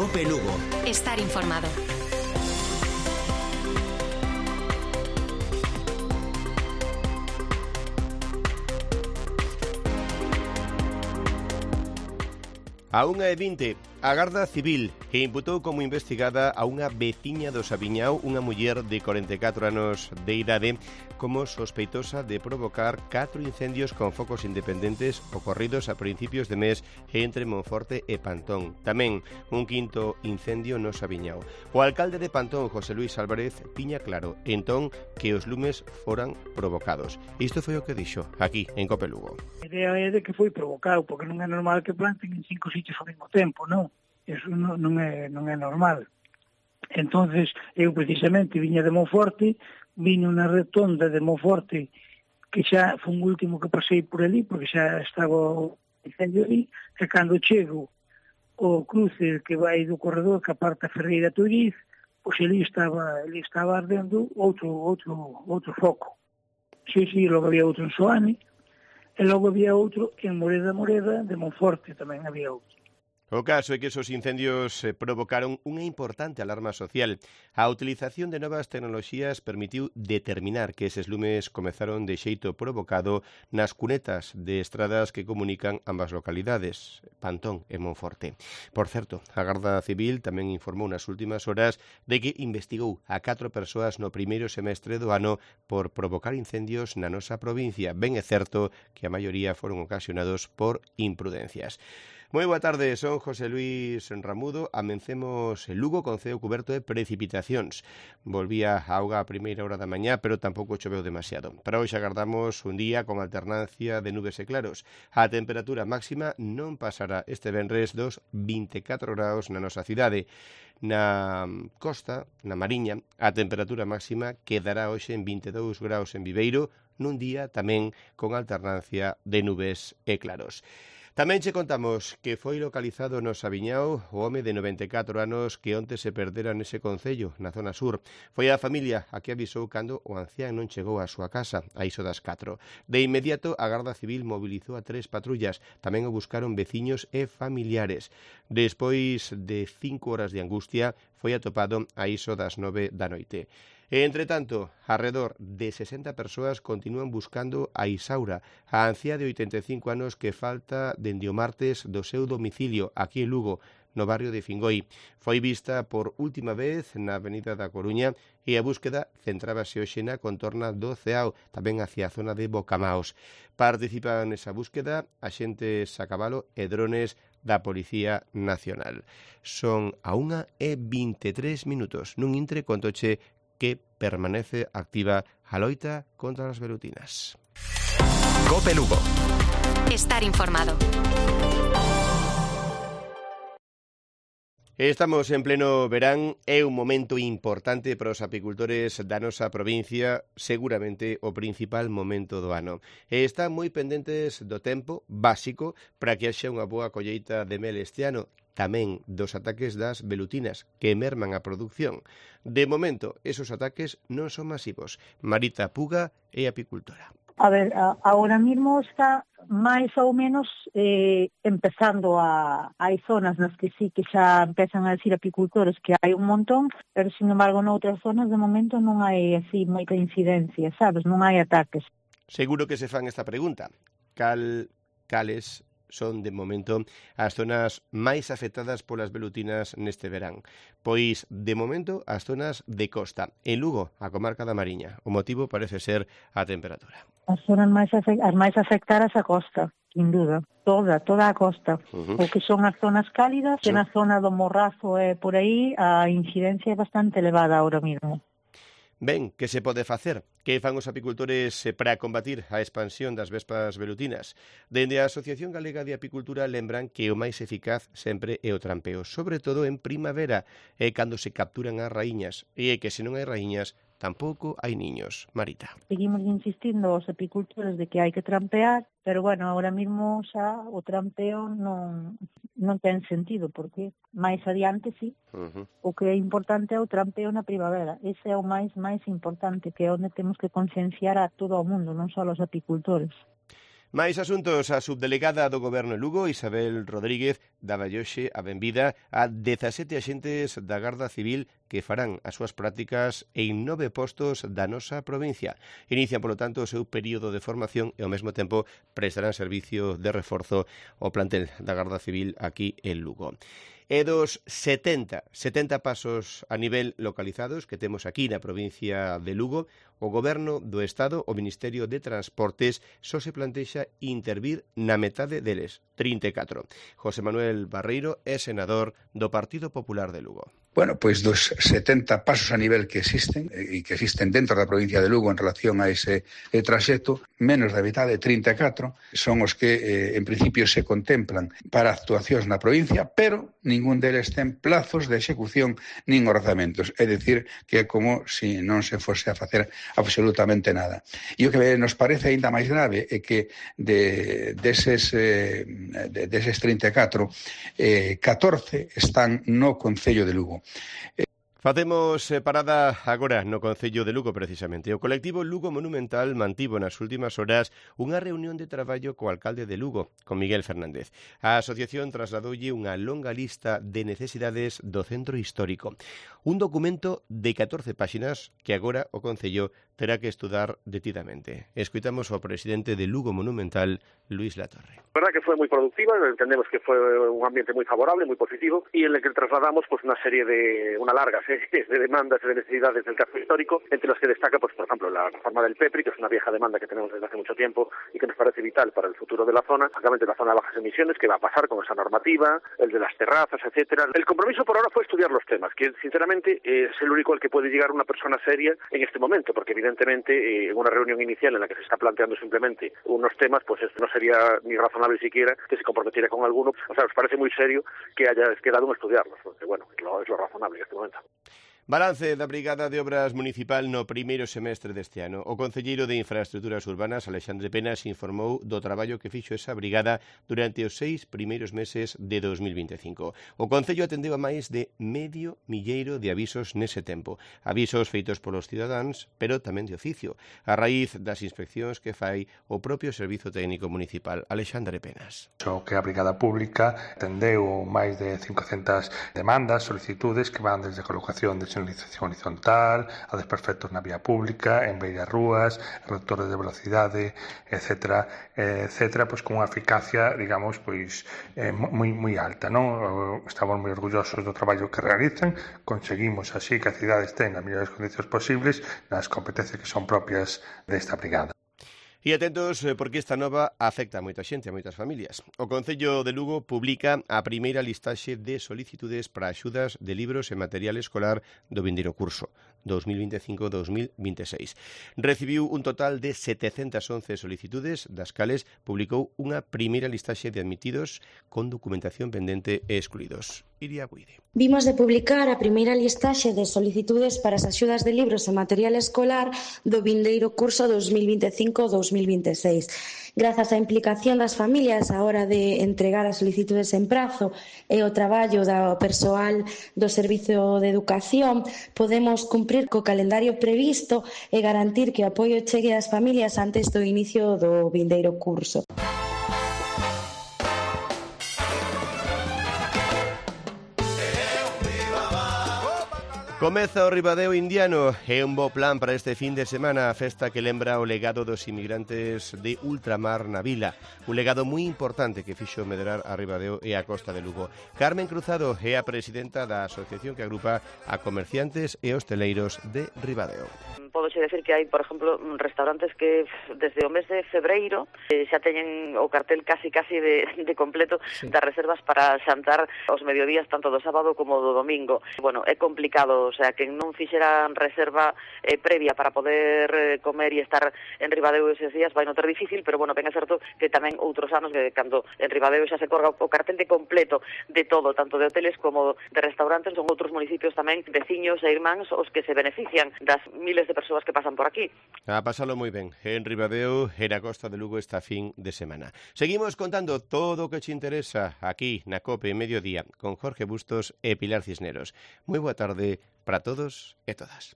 Cope Lugo. Estar informado. A 1:20, a Garda Civil imputou como investigada a unha veciña do Sabiñao, unha muller de 44 anos de idade, como sospeitosa de provocar 4 incendios con focos independentes ocorridos a principios de mes entre Monforte e Pantón. Tamén un quinto incendio no Sabiñao. O alcalde de Pantón, José Luis Álvarez, tiña claro entón que os lumes foran provocados. Isto foi o que dixo aquí en Cope Lugo. A idea é de que foi provocado, porque non é normal que planten en 5 sitios ao mesmo tempo, non? Eso non é normal. Entonces, eu precisamente viña de Monforte, viño na retonda de Monforte, que xa foi o último que pasei por ali, porque xa estaba o incendio ali, e cando chego o cruce que vai do corredor que aparta Ferreira Toriz, pois ali estaba ardendo outro foco. Sí, logo había outro en Soane, e logo había outro en Moreda de Monforte, tamén había outro. O caso é que esos incendios provocaron unha importante alarma social. A utilización de novas tecnoloxías permitiu determinar que eses lumes comezaron de xeito provocado nas cunetas de estradas que comunican ambas localidades, Pantón e Monforte. Por certo, a Garda Civil tamén informou nas últimas horas de que investigou a 4 persoas no primeiro semestre do ano por provocar incendios na nosa provincia. Ben é certo que a maioría foron ocasionados por imprudencias. Moi boa tarde, son José Luis Ramudo. Amencemos en Lugo con ceo cuberto de precipitacións. Volvía a auga a primeira hora da mañá, pero tampouco choveu demasiado. Para hoxe agardamos un día con alternancia de nubes e claros. A temperatura máxima non pasará este venres dos 24 graus na nosa cidade. Na costa, na Mariña, a temperatura máxima quedará hoxe en 22 graus en Viveiro, nun día tamén con alternancia de nubes e claros. Tamén che contamos que foi localizado no Sabiñao o home de 94 anos que onte se perdera nese concello, na zona sur. Foi a familia a que avisou cando o ancián non chegou á súa casa, a iso das 4. De inmediato, a Garda Civil mobilizou a 3 patrullas. Tamén o buscaron veciños e familiares. Despois de 5 horas de angustia, foi atopado a iso das 9 da noite. E, entre tanto, arredor de 60 persoas continúan buscando a Isaura, a anciá de 85 anos que falta dende o martes do seu domicilio aquí en Lugo, no barrio de Fingoi. Foi vista por última vez na avenida da Coruña e a búsqueda centrábase hoxe na contorna do Ceao, tamén hacia a zona de Bocamaos. Participan nesa búsqueda axentes a cabalo e drones da Policía Nacional. Son a 1:23 minutos. Nun intre contoche que permanece activa a loita contra as velutinas. Cope Lugo. Estar informado. Estamos en pleno verán, é un momento importante para os apicultores da nosa provincia, seguramente o principal momento do ano. E están moi pendentes do tempo básico para que haxa unha boa colleita de mel este ano, tamén dos ataques das velutinas que merman a produción. De momento, esos ataques non son masivos. Marita Puga é apicultora. A ver, ahora mismo está máis ou menos empezando hai zonas nas que sí que xa empezan a decir apicultores que hai un montón, pero sin embargo noutras zonas de momento non hai así moita incidencia, sabes? Non hai ataques. Seguro que se fan esta pregunta. Cales son, de momento, as zonas máis afectadas polas velutinas neste verán? Pois, de momento, as zonas de costa. En Lugo, a comarca da Mariña. O motivo parece ser a temperatura. As zonas as máis afectadas a costa, sin duda. Toda a costa. O que son as zonas cálidas, sí. E na zona do Morrazo e por aí, a incidencia é bastante elevada ahora mismo. Ben, que se pode facer? Que fan os apicultores para combatir a expansión das vespas velutinas? Dende a Asociación Galega de Apicultura lembran que o máis eficaz sempre é o trampeo, sobre todo en primavera, é cando se capturan as raíñas, e é que se non hai raíñas, tampouco hai niños. Marita. Seguimos insistindo aos apicultores de que hai que trampear, pero bueno, ahora mismo xa o trampeo non ten sentido, porque máis adiante sí. O que é importante é o trampeo na primavera. Ese é o máis importante, que é onde temos que concienciar a todo o mundo, non só aos apicultores. Máis asuntos, a subdelegada do Goberno en Lugo, Isabel Rodríguez, daba hoxe a benvida a 17 axentes da Garda Civil que farán as súas prácticas en 9 postos da nosa provincia. Inician, polo tanto, o seu período de formación e, ao mesmo tempo, prestarán servicio de reforzo ao plantel da Garda Civil aquí en Lugo. E dos 70 pasos a nivel localizados que temos aquí na provincia de Lugo, o Goberno do Estado, o Ministerio de Transportes, só se plantexa intervir na metade deles, 34. José Manuel Barreiro é senador do Partido Popular de Lugo. Bueno, pois dos 70 pasos a nivel que existen, e que existen dentro da provincia de Lugo en relación a ese traxecto, menos da metade, 34, son os que en principio se contemplan para actuacións na provincia, pero ningún deles ten plazos de execución nin orzamentos. É dicir, que é como se non se fose a facer absolutamente nada. E o que nos parece aínda máis grave é que deses 34, 14 están no Concello de Lugo. Facemos parada agora no Concello de Lugo, precisamente. O colectivo Lugo Monumental mantivo nas últimas horas unha reunión de traballo co alcalde de Lugo, con Miguel Fernández. A asociación trasladoulle unha longa lista de necesidades do centro histórico. Un documento de 14 páxinas que agora o Concello terá que estudar detidamente. Escuitamos ao presidente de Lugo Monumental, Luis Latorre. La verdad que fue muy productiva, entendemos que fue un ambiente muy favorable, muy positivo, y en el que trasladamos pues una serie de, una larga serie de demandas y de necesidades del casco histórico, entre las que destaca, pues por ejemplo, la reforma del PEPRI, que es una vieja demanda que tenemos desde hace mucho tiempo y que nos parece vital para el futuro de la zona, básicamente la zona de bajas emisiones, que va a pasar con esa normativa, el de las terrazas, etcétera. El compromiso por ahora fue estudiar los temas, que sinceramente es el único al que puede llegar una persona seria en este momento, porque evidentemente en una reunión inicial en la que se está planteando simplemente unos temas, pues esto no sería ni razonable siquiera que se comprometiera con alguno. O sea, nos parece muy serio que haya quedado en estudiarlos, porque bueno, es lo razonable en este momento. Balance da Brigada de Obras Municipal no primeiro semestre deste ano. O concelleiro de Infraestruturas Urbanas, Alexandre Penas, informou do traballo que fixo esa brigada durante os 6 primeiros meses de 2025. O Concello atendeu a máis de 500.000 de avisos nese tempo. Avisos feitos polos cidadáns, pero tamén de oficio, a raíz das inspeccións que fai o propio Servizo Técnico Municipal, Alexandre Penas. O que a Brigada Pública atendeu máis de 500 demandas, solicitudes que van desde colocación de señalización horizontal, a desperfectos na vía pública, en beiras rúas, reductores de velocidade, etcétera, pois con unha eficacia, digamos, pois moi alta, non? Estamos moi orgullosos do traballo que realizan, conseguimos así que a cidade este nas mellores condicións posibles nas competencias que son propias desta brigada. E atentos, porque esta nova afecta a moita xente, a moitas familias. O Concello de Lugo publica a primeira listaxe de solicitudes para axudas de libros e material escolar do vindeiro curso 2025-2026. Recibiu un total de 711 solicitudes, das cales publicou unha primeira listaxe de admitidos con documentación pendente e excluídos. Iria Buide. Vimos de publicar a primeira listaxe de solicitudes para as axudas de libros e material escolar do vindeiro curso 2025-2026. Grazas á implicación das familias á hora de entregar as solicitudes en prazo e o traballo do persoal do Servizo de Educación, podemos cumprir co calendario previsto e garantir que o apoio chegue ás familias antes do inicio do vindeiro curso. Comeza o Ribadeo Indiano, é un bo plan para este fin de semana, a festa que lembra o legado dos inmigrantes de ultramar na vila, un legado moi importante que fixo medrar a Ribadeo e a Costa de Lugo. Carmen Cruzado é a presidenta da asociación que agrupa a comerciantes e hosteleiros de Ribadeo. Podoche decir que hai, por exemplo, restaurantes que desde o mes de febreiro xa teñen o cartel casi de completo das reservas para xantar aos mediodías tanto do sábado como do domingo. Bueno, é complicado, o sea, que non fixeran reserva previa para poder comer e estar en Ribadeo eses días vai non ter difícil, pero bueno, ben é certo que tamén outros anos que cando en Ribadeo xa se corga o cartel de completo de todo, tanto de hoteles como de restaurantes, son outros municipios tamén veciños e irmáns os que se benefician das miles de persoas que pasan por aquí. A pasalo moi ben, en Ribadeo e na Costa de Lugo esta fin de semana. Seguimos contando todo o que te interesa aquí na COPE Mediodía con Jorge Bustos e Pilar Cisneros. Moi boa tarde para todos e todas.